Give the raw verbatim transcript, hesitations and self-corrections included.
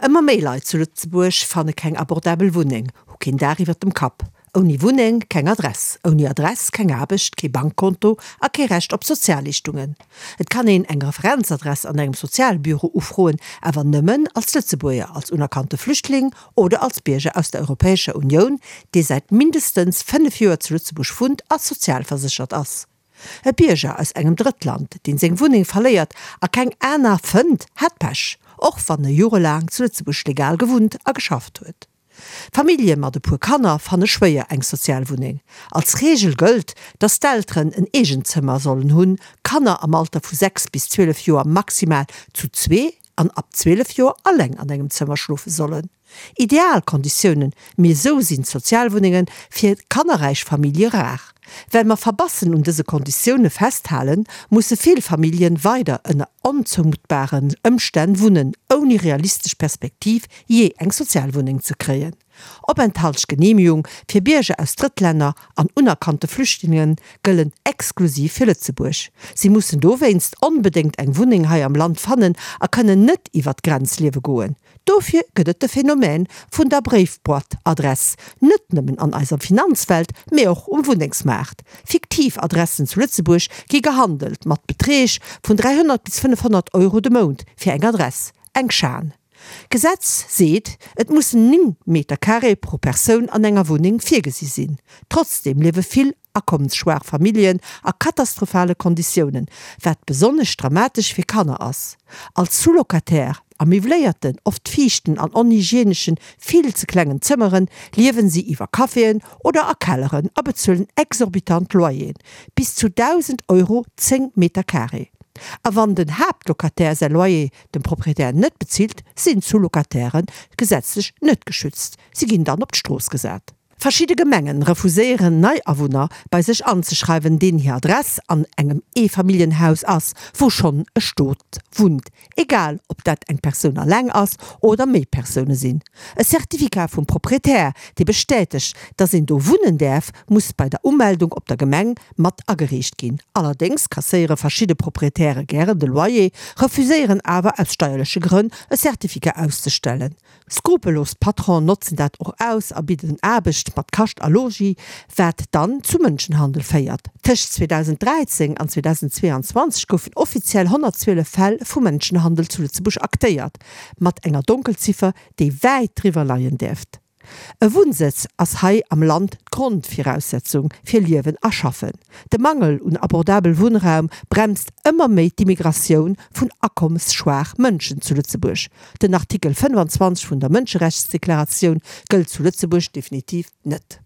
Ëmmer méi Leit zu Lëtzebuerg fanne keng abordabel Wunneng, hu keen Daach iwwer dem Kapp. Ouni Wunneng keng Adress, ouni Adress keng Aarbecht, kee Bankkonto a kee Recht op Sozialleeschtungen. Et kann een eng Referenzadress an engem Sozialbüro ufroen, awer nëmmen als Lëtzebuerger, als unerkannte Flüchtling oder als Bierger aus der Europäescher Unioun, dee säit mindestens fënnef Joer zu Lëtzebuerg wunnt a sozialverséchert ass. E Bierger aus engem Drëttland, deen seng Wunneng verléiert a keng aner fënnt, hat Pech, och wann e jorelaang zu Lëtzebuerg legal gewunnt a geschafft huet. Famillje mat e puer Kanner fanne schwéier eng Sozialwunneng. Als Reegel gëllt, dass d'Elteren en eegent Zëmmer sollen hunn, Kanner am Alter vu sechs bis zwielef Joer maximal zu zwee an ab zwielef Joer alleng an engem Zëmmer schlofe sollen. Ideal Konditiounen, mee esou sinn d'Sozialwunnenge fir kannerräich Famillje rar. Well mer verbassen un dëse Konditioune festhalen, musse vill Familljen weider ënner onzoumuttbaren Ëmstänn wunnen, ouni realistesch Perspektiv jee eng Sozialwunneng ze kréien. Openthaltsgeneemegung fir Bierger aus Drëttlänner an unerkannte Flüchtlinge gëllen exklusiv fir Lëtzebuerg. Si mussen dowéinst onbedéngt eng Wunneng hei am Land fannen a kënnen net iwwer d'Grenz liewe goen. Dofir gëtt et de Phänomen vun der Bréifboîte-Adress, net nëmmen an eiser Finanzwelt, mee och um Wunnengsmaart. Fiktiv Adressen zu Lëtzebuerg gi gehandelt, mat Beträg vun dräihonnert bis fënnefhonnert Euro de Mount fir eng Adress. Eng Schan. D'Gesetz seet, et mussen néng Meter carré pro Persoun an enger Wunneng virgesi sinn. Trotzdeem liewe vill akommesschwaach Familljen a katastrophale Konditiounen, wat besonnesch dramatesch fir Kanner ass. Als Sous-Locataire a miwwléierten, oft fiichten an onhygieneschen, vill ze klengen Zëmmeren liewen si iwwer Caféen oder a Kelleren a bezuelen exorbitant Loyeren, bis zu dausend Euro zéng Meter carré. A wann den Haaptlocataire säi Loyer dem Proprietär net bezilt, sinn d'Sous-Locataire gesetzlech net geschützt, si ginn dann op d'Strooss gesat. Verschidde Gemengen refuséieren nei Awunner bei sech anzeschreiwen, deenen hir Adress an engem Eefamilljenhaus ass, wou schonn e Stot wunnt, egal ob dat eng Persoun alleng ass oder méi Persoune sinn. E Certificat vum Proprietär, dee bestätegt, dass een do wunnen däerf, muss bei der Umeldung op der Gemeng mat agereecht ginn. Allerdéngs kasséiere verschidde Proprietäre gären de Loyer, refuséieren awer aus steierleche Grënn e Certificat auszestellen. Skrupellos Patronen notzen dat och aus a bidden Aarbecht mat Kascht a Logis, wat dann zu Mënschenhandel féiert. Tëscht zweedausenddräizéng an zweedausendzweeanzwanzeg goufen offiziell honnertzwielef Fäll vu Mënschenhandel zu Lëtzebuerg aktéiert, mat enger Donkelziffer, déi wäit driwwer leien dierft. E Wunnsëtz ass hei am Land d'Grondviraussetzung fir Liewen a Schaffen. De Mangel un abordabel Wunnraum bremst ëmmer méi d'Immigratioun vun akommesschwaach Mënschen zu Lëtzebuerg. Den Artikel fënnefanzwanzeg vun der Mënscherechtsdeklaratioun gëllt zu Lëtzebuerg definitiv net.